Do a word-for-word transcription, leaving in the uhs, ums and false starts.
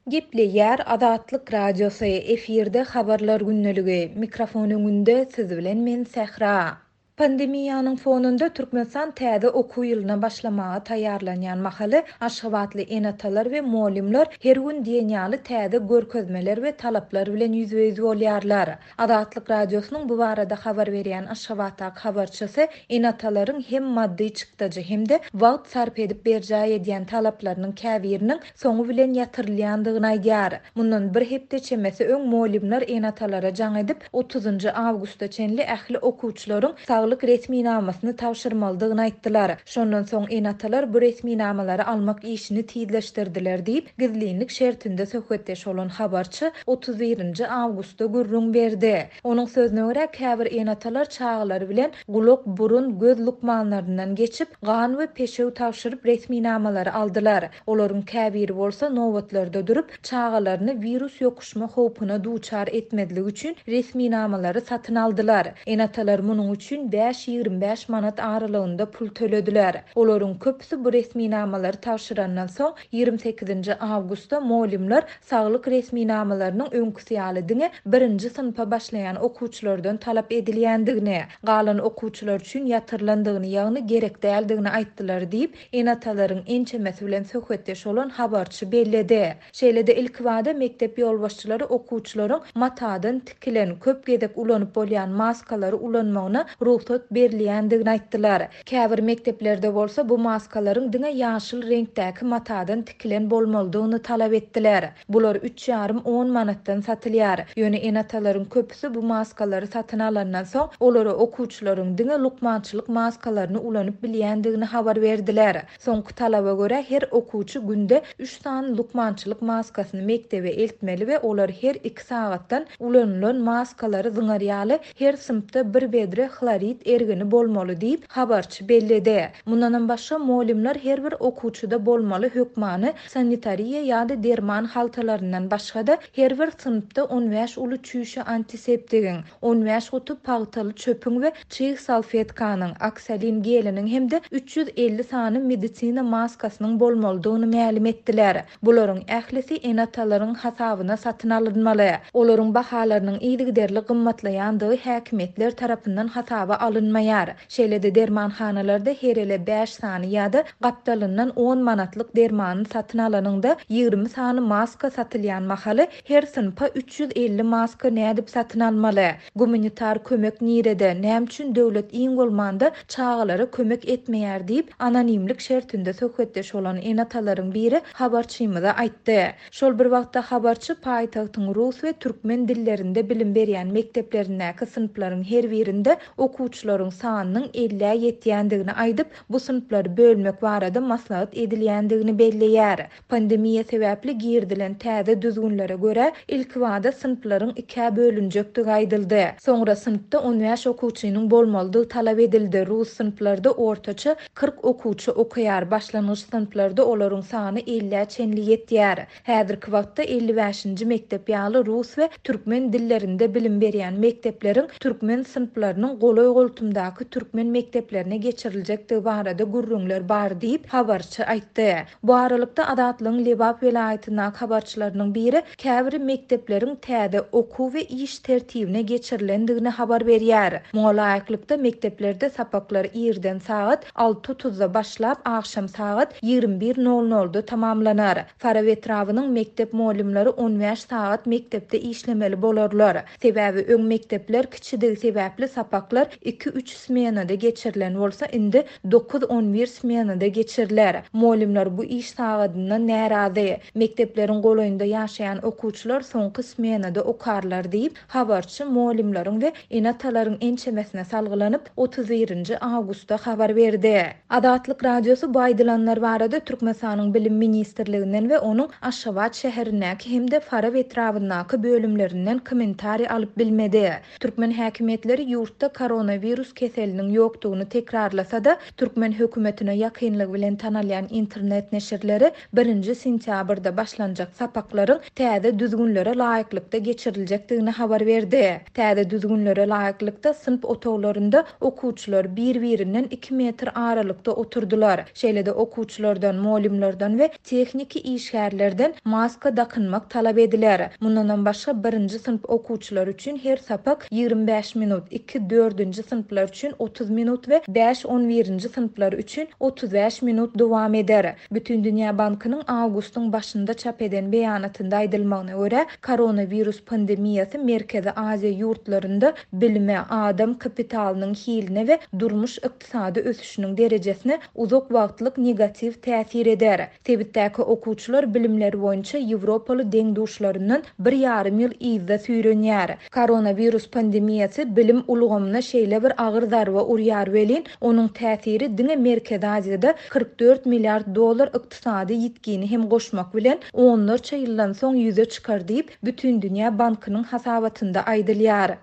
Gepleýär Azatlyk Radiosy, efirde Habarlar gündeligi, mikrofon öňünde siz bilen men Sähra. Pandemiýanyň fonunda Türkmenistan täze okuw ýylyna başlamaga taýýarlanýan mahaly aşgabatly ene-atalar we mugallymlar her gün diýen ýaly täze görkezmeler we talaplar bilen ýüzbe-ýüz bolýarlar. Azatlyk Radiosynyň bu barada habar berýän Aşgabatdaky habarçysy ene-atalaryň hem maddy çykdajy hem-de wagt sarp edip berjaý edýän talaplarynyň käbiriniň soňy bilen ýatyrylýandygyny aýdýar. Mundan bir hepde çemesi öň mugallymlar ene-atalara jaň edip, otuzynjy awgusta çenli ähli okuwçylaryň saglyk resminamasyny tabşyrmalydygyny aýtdylar. Şondan soň ene-atalar bu resminamalary almak işini tizleşdirdiler diýip, gizlinlik şertinde söhbetdeş bolan habarçy otuz birinji awgustda gürrüň berdi. Onuň sözüne görä, käbir ene-atalar çagalary bilen gulak, burun, göz lukmanlaryndan geçip, gan we peşew tabşyryp resminamalary aldylar. Olaryň käbiri bolsa nobatlarda durup, çagalaryny wirus ýokuşma howpuna duçar etmezlik üçin resminamalary satyn aldylar. Ene-atalar munuň üçin bäş ýigrimi bäş manat aralygynda pul tölediler. Olaryň köpüsi bu resminamalary tabşyrandan soň ýigrimi sekizinji awgustda mugallymlar saglyk resminamalarynyň öňküsi ýaly diňe birinji synpa başlaýan okuwçylardan talap edilýändigini, galan okuwçylar üçin ýatyrylandygyny, ýagny gerek däldigini aýtdylar diýip, ene-atalaryň ençemesi bilen söhbetdeş bolan habarçy belledi. Şeýle-de ilkibada mekdep ýolbaşçylary okuwçylaryň matadan tikilen, köp gezek ulanyp bolýan maskalary ulanmagyna rugsat berilýändigini aýtdylar. Käbir mekdeplerde bolsa bu maskalaryň diňe ýaşyl reňkdäki matadan tikilen bolmalydygyny talap etdiler. Bular üç ýarym on manatdan satylýar. Ýöne ene-atalaryň köpüsi bu maskalary satyn alandan soň olara okuwçylaryň diňe lukmançylyk maskalaryny ulanyp bilýändigini habar berdiler. Soňky talaba görä her okuwçy günde üç sany lukmançylyk maskasyny mekdebe eltmeli we olar her iki sagatdan ulanylan maskalary zyňar ýaly her synpda bir bedre hlorid ergini bolmaly diýip habarçy belledi. Mundanam başga mugallymlar her bir okuwçyda bolmaly hökmany sanitariýa ýa-da derman haltalaryndan başga-da her bir synpda on bäş uly çüýşe antiseptigiň, on bäş guty pagtaly çöpüň we çig salfetkanyň, oksalin geliniň hem-de üç ýüz elli sany medisina maskasynyň bolmalydygyny mälim etdiler. Bularyň ählisi ene-atalaryň hasabyna satyn alynmaly. Olaryň bahalarynyň yzygiderli gymmatlaýandygy häkimiýetler tarapyndan hasaba alynmaýar. Şeýle-de dermanhanalarda her ele bäş sany ýa-da gapdalyndan on manatlyk dermany satyn alanyňda ýigrimi sany maska satylýan mahaly her synpa üç ýüz elli maska nädip satyn almaly? Gumanitar kömek nirede? Näme üçin döwlet iň bolmanda çagalara kömek etmeýär diýip anonimlik şertinde söhbetdeş bolan ene-atalaryň biri habarçymyza aýtdy. Şol bir wagtda habarçy paýtagtyň rus we türkmen dillerinde bilim berýän mekdeplerindäki synplaryň her birinde okuwçylaryň sanynyň ellä ýetýändigini aýdyp, bu synplary bölmek barada maslahat edilýändigini belleýär. Pandemiýa sebäpli girdilen täze düzgünlere görä ilkibada synplaryň ikä bölünjekdigi aýdyldy. Soňra synpda on bäş okuwçynyň bolmalydygy talap edildi. Rus synplarda ortaça kyrk okuwçy okaýar. Başlangyç synplarda olaryň sany ellä çenli ýetýär. Häzirki wagtda elli bäşinji mekdep ýaly rus we türkmen dillerinde bilim berýän mekdepleriň türkmen synplarynyň golaý-goltumdaky türkmen mekdeplerine geçiriljekdigi barada gürrüňler bar diýip habarçy aýtdy. Bu aralykda Azatlygyň Lebap welaýatyndaky habarçylarynyň biri käbir mekdepleriň täze okuw we iş tertibine geçirilendigini habar berýär. Muňa laýyklykda mekdeplerde sapaklar irden sagat alty otuzda başlap akşam sagat ýigrimi bir nol nolda tamamlanar. Farap etrabynyň mekdep mugallymlary on bäş sagat mekdepde işlemeli bolarlar. Sebäbi öň mekdepler kiçidigi sebäpli sapaklar iki üç smenada geçirilen bolsa indi dokuz on bir smenada geçiriler. Mugallymlar bu iş sagadyndan närazy. Mekdepleriň golaýynda ýaşaýan okuwçylar soňky smenada okarlar diýip habarçy mugallymlaryň we ene-atalaryň ençemesine salgylanyp otuz birinji awgustda habar berdi. Azatlyk Radiosy bu aýdylanlar barada Türkmenistanyň Bilim Ministrliginden we onuň Aşgabat şäherindäki hem-de Farap etrabyndaky bölümlerinden kommentariý alyp bilmedi. Türkmen häkimiýetleri ýurtda koronawirus koronawirus keseliniň ýokdugyny tekrarlasa-da, türkmen hökümetine ýakynlygy bilen tanalýan internet neşirleri birinji sentýabrda başlanjak sapaklaryň täze düzgünlere laýyklykda geçiriljekdigini habar berdi. Täze düzgünlere laýyklykda, synp otaglarynda okuwçylar bir-birinden iki metr aralykda oturdylar. Şeýle-de okuwçylardan, mugallymlardan we tehniki işgärlerden maska dakynmak talap ediler. Mundanam başga, birinji synp okuwçylary üçin her sapak ýigrimi bäş minut, iki, dördünji synplar üçin otuz minut we bäş, on birinji synplar üçin otuz bäş minut dowam eder. Bütindünýä bankynyň awgustyň başynda çap eden beýanatynda aýdylmagyna görä, koronawirus pandemiýasy Merkezi Aziýa ýurtlarynda bilime, adam kapitalynyň hiline we durmuş-ykdysady ösüşiniň derejesine uzak wagtlyk negatiw täsir eder. Sebitdäki okuwçylar bilimleri boýunça ýewropaly deň-duşlaryndan bir ýarym ýyl yzda süýrenýär. Koronawirus pandemiýasy bilim ulgamyna şeýle bir agyr zarba urýar welin, onuň täsiri diňe Merkezi Aziýada kyrk dört milliard dollar ykdysady ýitgini hem goşmak bilen onlarça ýyldan soň ýüze çykar diýip, Bütindünýä bankynyň hasabatynda aýdylýar.